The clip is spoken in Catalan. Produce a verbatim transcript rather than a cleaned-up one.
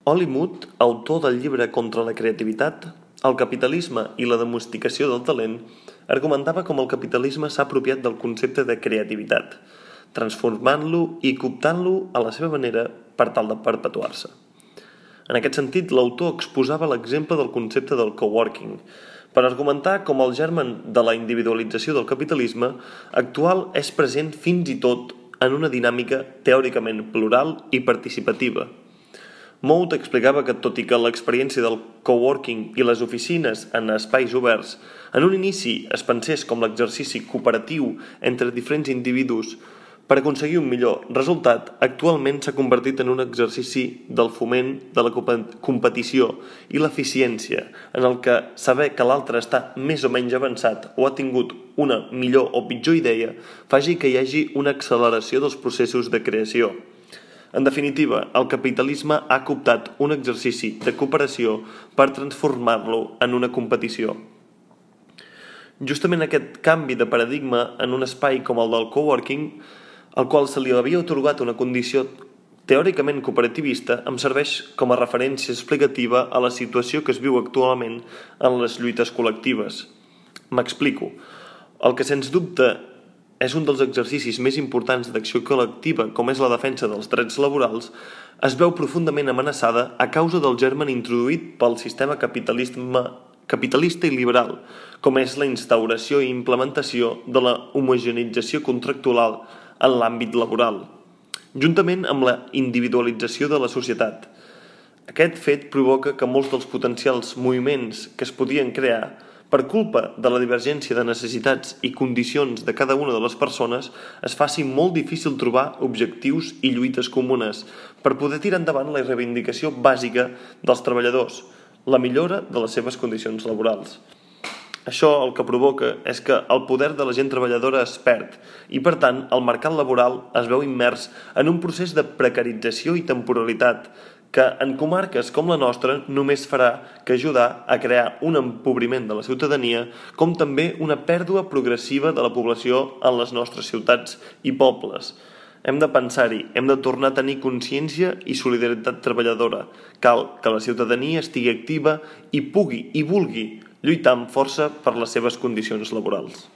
Oli Mut, autor del llibre Contra la creativitat, el capitalisme i la domesticació del talent, argumentava com el capitalisme s'ha apropiat del concepte de creativitat, transformant-lo i cooptant-lo a la seva manera per tal de perpetuar-se. En aquest sentit, l'autor exposava l'exemple del concepte del coworking, per argumentar com el germen de la individualització del capitalisme actual és present fins i tot en una dinàmica teòricament plural i participativa. Mout explicava que, tot i que l'experiència del coworking i les oficines en espais oberts en un inici es pensés com l'exercici cooperatiu entre diferents individus per aconseguir un millor resultat, actualment s'ha convertit en un exercici del foment de la competició i l'eficiència, en el que saber que l'altre està més o menys avançat o ha tingut una millor o pitjor idea faci que hi hagi una acceleració dels processos de creació. En definitiva, el capitalisme ha cooptat un exercici de cooperació per transformar-lo en una competició. Justament aquest canvi de paradigma en un espai com el del coworking, al qual se li havia atorgat una condició teòricament cooperativista, em serveix com a referència explicativa a la situació que es viu actualment en les lluites col·lectives. M'explico. El que sens dubte és un dels exercicis més importants d'acció col·lectiva, com és la defensa dels drets laborals, es veu profundament amenaçada a causa del germen introduït pel sistema capitalista i liberal, com és la instauració i implementació de la homogeneïtzació contractual en l'àmbit laboral, juntament amb la individualització de la societat. Aquest fet provoca que molts dels potencials moviments que es podien crear per culpa de la divergència de necessitats i condicions de cada una de les persones, es faci molt difícil trobar objectius i lluites comunes per poder tirar endavant la reivindicació bàsica dels treballadors, la millora de les seves condicions laborals. Això el que provoca és que el poder de la gent treballadora es perd i, per tant, el mercat laboral es veu immers en un procés de precarització i temporalitat que en comarques com la nostra només farà que ajudar a crear un empobriment de la ciutadania, com també una pèrdua progressiva de la població en les nostres ciutats i pobles. Hem de pensar-hi, hem de tornar a tenir consciència i solidaritat treballadora. Cal que la ciutadania estigui activa i pugui i vulgui lluitar amb força per les seves condicions laborals.